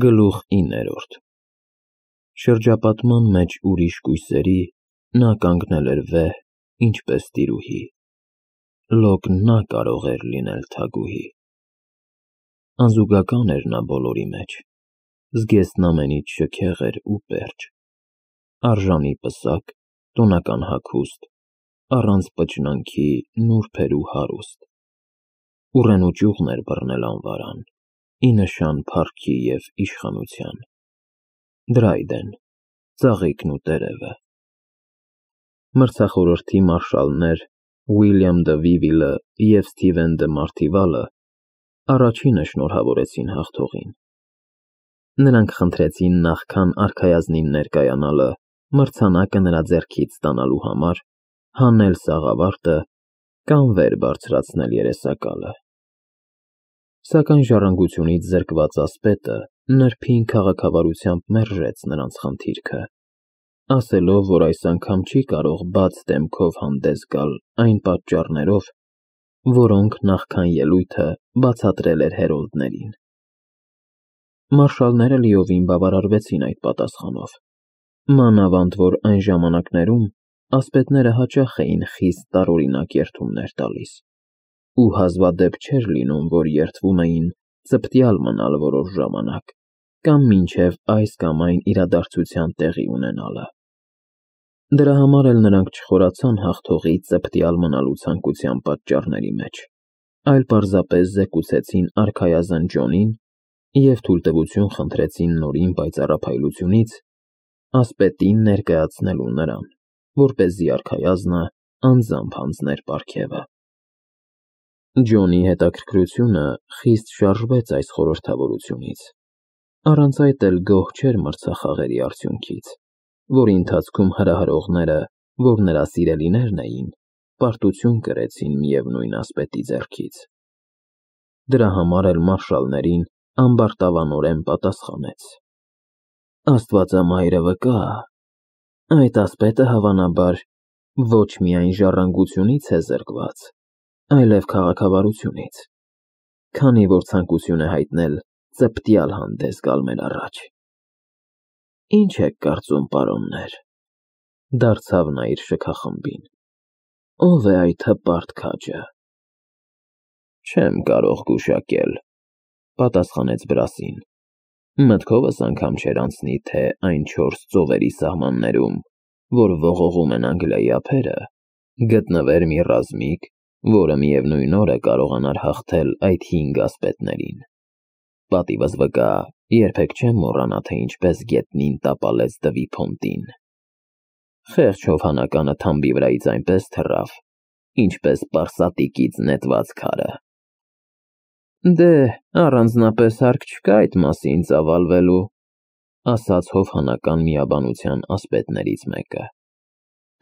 Գլուխ 9 Շրջապատման մեջ ուրիշ կույսերի նա կանգնել էր վեհ, ինչպես տիրուհի, լոկ նա կարող էր լինել թագուհի։ Անզուգական էր նա բոլորի մեջ, զգեստն ամենից շքեղ էր ու պերճ, արժանի պսակ, տոնական հագուստ, առանց պճնանքի նուրբ էր ու հարուստ, ուռեն ու ճյուղն էր բռնել անվարան, ի նշան փառքի և իշխանության, Դրայդեն, ծաղիկն ու տերևը։ Մրցախորհրդի մարշալներ Ուիլյամ դը Վիվիլը և Սթիվեն դը Մարթիվալը առաջինը շնորհավորեցին հաղթողին։ Նրանք խնդրեցին նախքան արքայազնին ներկայանալը մրցանակը նրա ձեռքից ստանալու համար հանել սաղավարտը կամ վեր բարձրացնել երեսակալը։ Սակայն ժառանգությունից զրկված ասպետը նրբին քաղաքավարությամբ մերժեց նրանց խնդիրքը, ասելով, որ այս անգամ չի կարող բաց դեմքով հանդես գալ այն պատճառներով, որոնք նախքան ելույթը բացատրել էր հերոլդներին։ Մարշալները լիովին բավարարվեցին այդ պատասխանով, մանավանդ որ այն ժամանակներում ասպետները հաճախ էին խիստ տարօրինակ երդումներ տալիս, ու հազվադեպ չէր լինում, որ երդվում էին ծպտյալ մնալ որոշ ժամանակ կամ մինչև այս կամ այն իրադարձության տեղի ունենալը։ Դրա համար էլ նրանք չխորացան հաղթողի ծպտյալ մնալու ցանկության պատճառների մեջ, այլ պարզապես զեկուցեցին արքայազն Ջոնին և թույլտվություն խնդրեցին նորին պայծառափայլությունից ասպետին ներկայացնելու նրան, որպեսզի արքայազնը անձամբ հանձներ պարգևը։ Ջոնի հետաքրքրությունը խիստ շարժվեց այս խորհրդավորությունից, առանց այդ էլ գոհ չէր մրցախաղերի արդյունքից, որի ընթացքում հրահրողները, որ նրա սիրելիներն էին, պարտություն կրեցին միևնույն ասպետի ձեռքից։ Դրա համար էլ մարշալներին ամբարտավանորեն պատասխանեց. Աստվածամայրը վկա, այդ ասպետը հավանաբար ոչ միայն ժառանգությունից է զրկված, այլև քաղաքավարությունից, քանի որ ցանկություն է հայտնել ծպտյալ հանդես գալ մեր առաջ։ Ինչ եք կարծում, պարոններ, դարձավ նա իր շքախմբին, ով է այդ հպարտ քաջը։ Չեմ կարող գուշակել, պատասխանեց Բրասին, մտքովս անգամ չէր անցնի, թե այն 4 ծովերի սահմաններում, որ ողողում են Անգլիայի ափերը, գտնվեր մի ռազմիկ, որը միևնույն օրը կարողանար հաղթել այդ 5 ասպետներին։ Պատիվս վկա, երբեք չեմ մոռանա, թե ինչպես գետնին տապալեց Դվի Փոնտին։ Խեղճ հովհանականը թամբի վրայից այնպես թռավ, ինչպես պարսատիկից նետված քարը։ Դե, առանձնապես հարկ չկա այդ մասին ծավալվելու, ասաց հովհանական միաբանության ասպետներից մեկը։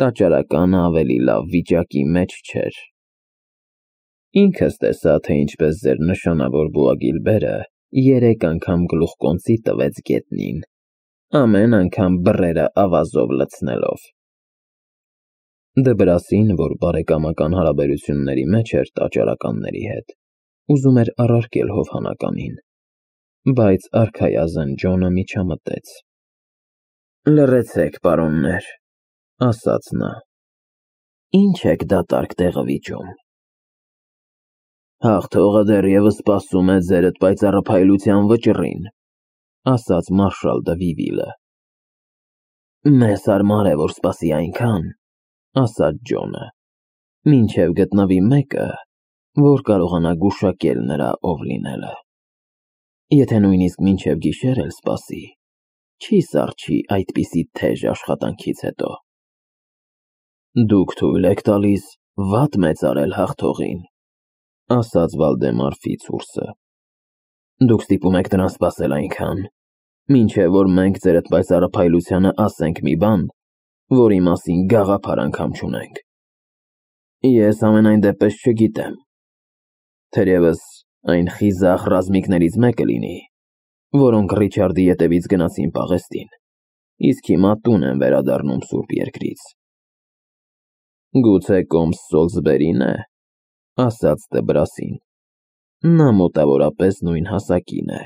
Տաճարականը ավելի լավ վիճակի մեջ չէր։ Ինքս տեսա, թե ինչպես ձեր նշանավոր Բուագիլբերը 3 անգամ գլուխկոնծի տվեց գետնին, ամեն անգամ բռերը ավազով լցնելով։ Դբրասին, որ բարեկամական հարաբերությունների մեջ էր տաճարականների հետ, ուզում էր առարկել հովհանականին, բայց արքայազն Ջոնը միջամտեց։ Լռեցեք, պարոններ, ասաց նա, ինչ եք դատարկ տեղը վիճում։ Հաղթողը դեռևս սպասում է ձերդ պայծառափայլության վճռին, ասաց մարշալ դը Վիվիլը։ Մեզ հարմար է, որ սպասի այնքան, ասաց Ջոնը, մինչև գտնվի մեկը, որ կարողանա գուշակել նրա ով լինելը։ Եթե նույնիսկ մինչև գիշեր էլ սպասի, չի սառչի այդպիսի թեժ աշխատանքից հետո։ Դուք թույլ եք տալիս վատ մեծարել հաղթողին, ասաց Վալդեմար Ֆիցուրսը։ Դուք ստիպում եք նրան սպասել այնքան, մինչև որ մենք ձերդ պայծառափայլությանը ասենք մի բան, որի մասին գաղափար անգամ չունենք։ Ես ամենայն դեպս չգիտեմ, թերևս այն խիզախ ռազմիկներից մեկը լինի, որոնք Ռիչարդի ետևից գնացին պաղեստին, իսկ հիմա տուն են վերադառնում Սուրբ Երկրից։ Գուցե կոմս Սոլսբերին է, ասաց Դբրասին, նա մոտավորապես նույն հասակին է։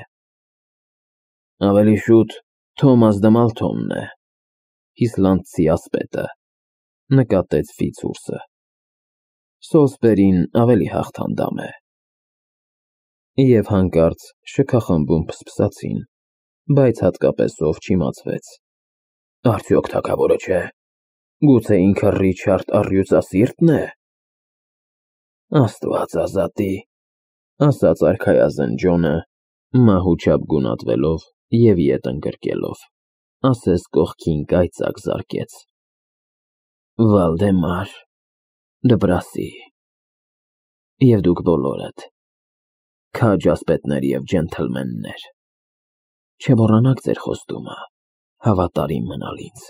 Ավելի շուտ Թոմաս դե Մալթոնն է, Իսլանդցի ասպետը, նկատեց Ֆիցուրսը։ Սոլսբերին ավելի հաղթանդամ է։ Եվ հանկարծ շքախմբում փսփսացին, բայց հատկապես ով չիմացվեց։ Արդյոք թագավորը չէ։ Գուցե ինքը Ռիչարդ առյուծասիրտն է։ Աստված ազատի, ասաց արքայազն Ջոնը, մահուչապ գունատվելով և ետ ընկրկելով, ասես կողքին կայծակ զարկեց։ Վալդեմար, դպրասի, և դուք բոլորդ, քաջ ասպետներ և ջենթլմեններ, չմոռանաք ձեր խոստումը, հավատարիմ մնալ ինձ։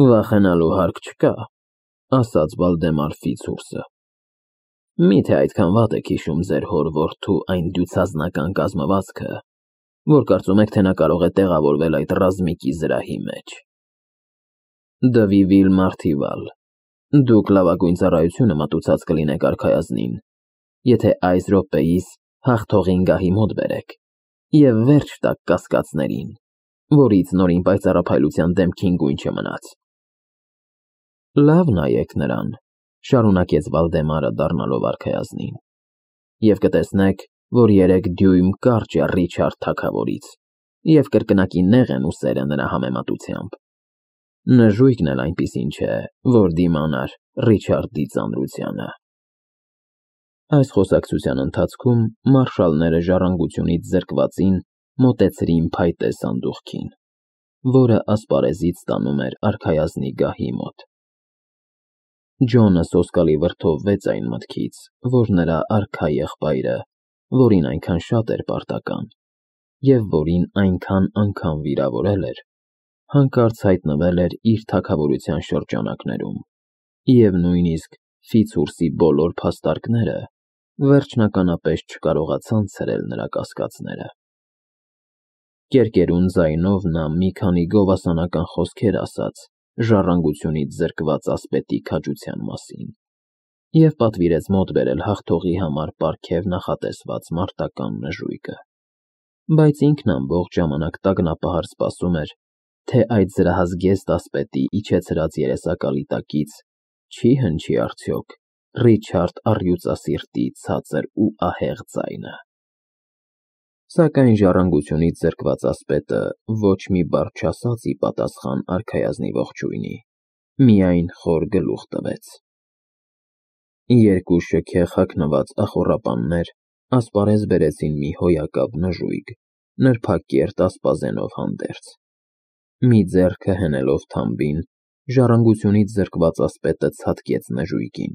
Վախենալու հարկ չկա, ասաց Վալդեմար Ֆիցուրսը։ Միթե այդքան վատ եք հիշում ձեր հոր որդու այն դյուցազնական կազմվածքը, որ կարծում եք, թե նա կարող է տեղավորվել այդ ռազմիկի զրահի մեջ։ Դվիվիլ Մարթիվալ, դուք լավագույն ծառայությունը մատուցած կլինեք արքայազնին, եթե այս րոպեիս հաղթողին գահի մոտ բերեք և վերջ տաք կասկածներին, որից նորին պայծառափայլության դեմքին գույն չմնաց։ Լավ նայեք նրան, շարունակեց Վալդեմարը դառնալով արքայազնին, և կտեսնեք, որ 3 դյույմ կարճ է Ռիչարդ թագավորից, և կրկնակի նեղ են ուսերը նրա համեմատությամբ։ Նժույգն էլ այնպիսին չէ, որ դիմանար Ռիչարդի ծանրությանը։ Այս խոսակցության ընթացքում մարշալները ժառանգությունից զրկվածին մոտեցրին փայտե սանդուղքին, որը ասպարեզից տանում էր արքայազնի գահի մոտ։ Ջոնը սոսկալի վրդովվեց այն մտքից, որ նրա արքա եղբայրը, որին այնքան շատ էր պարտական, և որին այնքան անգամ վիրավորել էր, հանկարծ հայտնվել էր իր թագավորության շրջանակներում, և նույնիսկ Ֆիցուրսի բոլոր փաստարկները վերջնականապես չկարողացան ցրել նրա կասկածները։ Կերկերուն ձայնով նա մի քանի գովասանական խոսքեր ասաց ժառանգությունից զրկված ասպետի քաջության մասին և պատվիրեց մոտ բերել հաղթողի համար պարգև նախատեսված մարտական նժույգը, բայց ինքն ամբողջ ժամանակ տագնապահար սպասում էր, թե այդ զրահազգեստ ասպետի իջեցրած երեսակալի տակից չի հնչի արդյոք Ռիչարդ առյուծասիրտի ցածր ու ահեղ ձայնը։ Սակայն ժառանգությունից զրկված ասպետը ոչ մի բառ չասաց ի պատասխան արքայազնի ողջույնի, միայն խոր գլուխ տվեց։ 2 շքեղ հագնված ախոռապաններ ասպարեզ բերեցին մի հոյակապ նժույգ, նրբակերտ ասպազենով հանդերձ։ Մի ձեռքը հենելով թամբին, ժառանգությունից զրկված ասպետը ցատկեց նժույգին,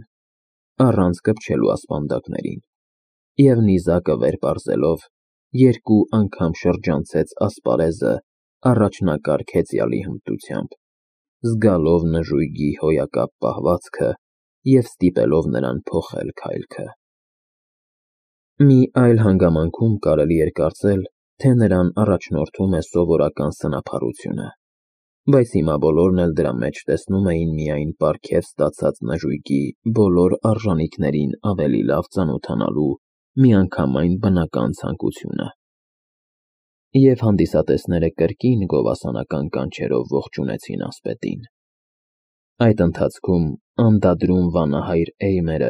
առանց կպչելու ասպանդակներին, և նիզակը վեր պարզելով 2 անգամ շրջանցեց ասպարեզը առաջնակարգ հեծյալի հմտությամբ, զգալով նժույգի հոյակապ պահվածքը և ստիպելով նրան փոխել քայլքը։ Մի այլ հանգամանքում կարելի էր կարծել, թե նրան առաջնորդում է սովորական սնափառությունը, բայց հիմա բոլորն էլ դրա մեջ տեսնում էին միայն պարգև ստացած նժույգի բոլոր արժանիքներին ավելի լավ ծանոթանալու միանգամայն բնական ցանկությունը։ Եվ հանդիսատեսները կրկին գովասանական կանչերով ողջունեցին ասպետին։ Այդ ընթացքում անդադրում վանահայր Էյմերը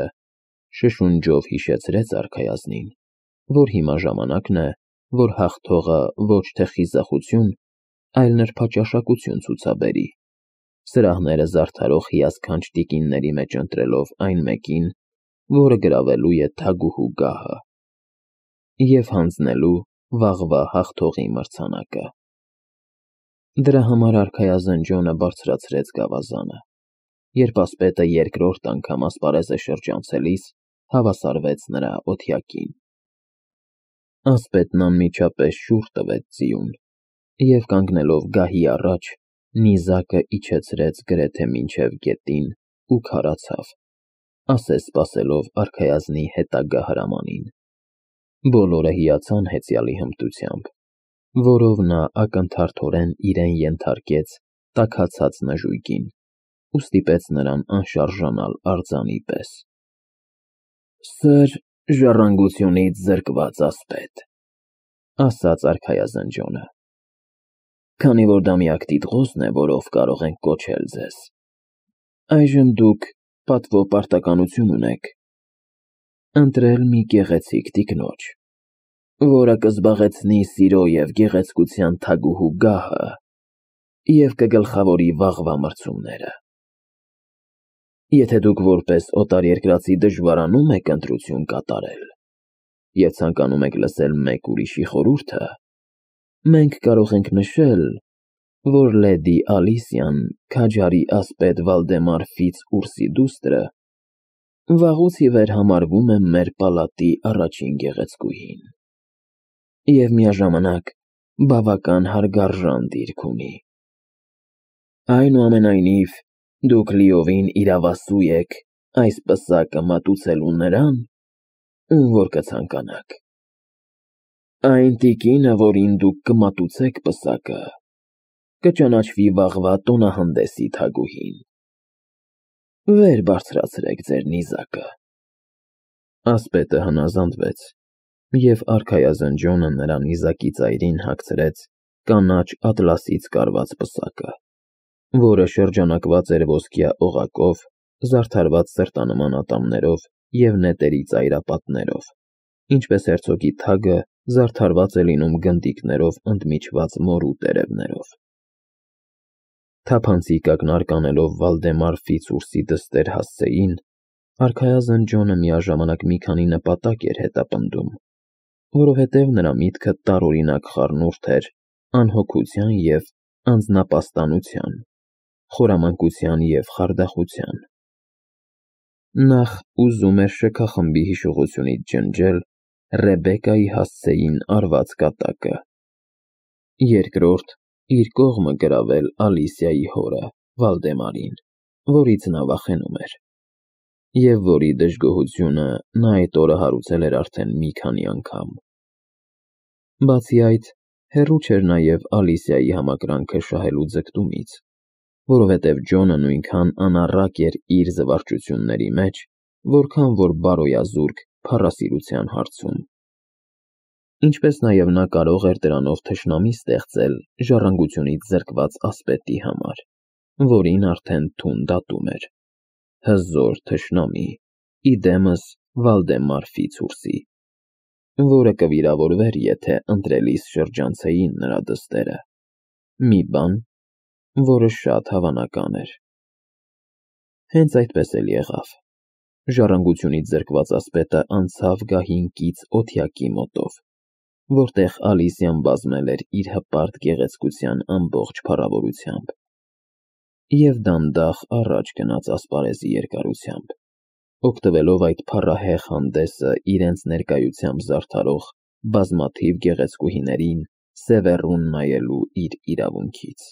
շշունջով հիշեցրեց արքայազնին, որ հիմա ժամանակն է, որ հաղթողը ոչ թե խիզախություն, այլ նրբաճաշակություն ցուցաբերի, սրահները զարդարող հիասքանչ տիկինների մեջ ընտրելով այն մեկին, որը գրավելու է թագուհու գահը, և հանձնելու վաղվա հաղթողի մրցանակը։ Դրա համար արքայազն Ջոնը բարձրացրեց գավազանը, երբ ասպետը երկրորդ անգամ ասպարեզը շրջանցելիս հավասարվեց նրա օթյակին։ Ասպետն անմիջապես շուռ տվեց ձիուն և կանգնելով գահի առաջ, նիզակը իջեցրեց գրեթե մինչև գետին ու քարացավ, ասես սպասելով արքայազնի հետագա հրամանին։ Բոլորը հիացան հեծյալի հմտությամբ, որով նա ակնթարթորեն իրեն ենթարկեց տաքացած նժույգին ու ստիպեց նրան անշարժանալ արձանի պես։ Սր ժառանգությունից զրկված ասպետ, ասաց արքայազնջոնը։ Քանի որ դա միակ տիտղոսն է, որով կարող ենք կոչել ձեզ, այժմ դուք պատվո պարտականություն ունեք ընտրել մի գեղեցիկ տիկնոջ, որը կզբաղեցնի սիրո և գեղեցկության թագուհու գահը և կգլխավորի վաղվա մրցումները։ Եթե դուք որպես օտարերկրացի դժվարանում եք ընտրություն կատարել և ցանկանում եք լսել մեկ ուրիշի խորհուրդը, մենք կարող ենք նշել, որ լեդի Ալիսիան, քաջարի ասպետ Վալդեմար Ֆիցուրսի դուստրը, վաղուց ի վեր համարվում է մեր պալատի առաջին գեղեցկուհին և միաժամանակ բավական հարգարժան դիրք ունի։ Այնուամենայնիվ, դուք լիովին իրավասու եք այս պսակը մատուցելու նրան, ում որ կցանկանաք։ Այն տիկինը, որին դուք կմատուցեք պսակը, կճանաչվի վաղվա տոնահանդեսի թագուհին։ Վեր բարձրացրեք ձեր նիզակը։ Ասպետը հնազանդվեց, և արքայազնջոնը նրա նիզակի ծայրին հագցրեց կանաչ ատլասից կարված պսակը, որը շրջանակված էր ոսկյա օղակով, զարդարված սրտանման ատամներով և նետերի ծայրապատներով, ինչպես հերցոգի թագը զարդարված է լինում գնդիկներով ընդմիջված մորու տերևներով։ Թափանցիկ ակնարկ անելով Վալդեմար Ֆիցուրսի դստեր հասցեին, արքայազնջոնը միաժամանակ մի քանի նպատակ էր հետապնդում, որովհետև նրա միտքը տարօրինակ խառնուրդ էր անհոգության և անձնապաստանության, խորամանկության և խարդախության։ Նախ ուզում էր շքախմբի հիշողությունից ջնջել Ռեբեկայի հասցեին արված կատակը, երկրորդ իր կողմը գրավել Ալիսիայի հորը Վալդեմարին, որից նա վախենում էր, և որի դժգոհությունը նա այդ օրը հարուցել էր արդեն մի քանի անգամ։ Բացի այդ, հեռու չէր նաև Ալիսիայի համակրանքը շահելու ձգտումից, որովհետև Ջոնը նույնքան անառակ էր իր զվարճությունների մեջ, որքան որ բարոյազուրկ փառասիրության հարցում։ Ինչպես նաև նա կարող էր դրանով թշնամի ստեղծել ժառանգությունից զրկված ասպետի համար, որին արդեն թուն դատում էր, հզոր թշնամի, իդեմս Վալդեմար Ֆիցուրսի, որը կվիրավորվեր, եթե ընտրելիս շրջանցեին նրա դստերը, մի բան, որը շատ հավանական էր։ Հենց այդպես էլ եղավ։ Ժառանգությունից զրկված ասպետը անցավ գահին կից օթյակի մոտով, որտեղ Ալիսիան բազմել էր իր հպարտ գեղեցկության ամբողջ փառավորությամբ, և դանդաղ առաջ գնաց ասպարեզի երկարությամբ, օգտվելով այդ փառահեղ հանդեսը իրենց ներկայությամբ զարդարող բազմաթիվ գեղեցկուհիներին սևեռուն նայելու իր իրավունքից։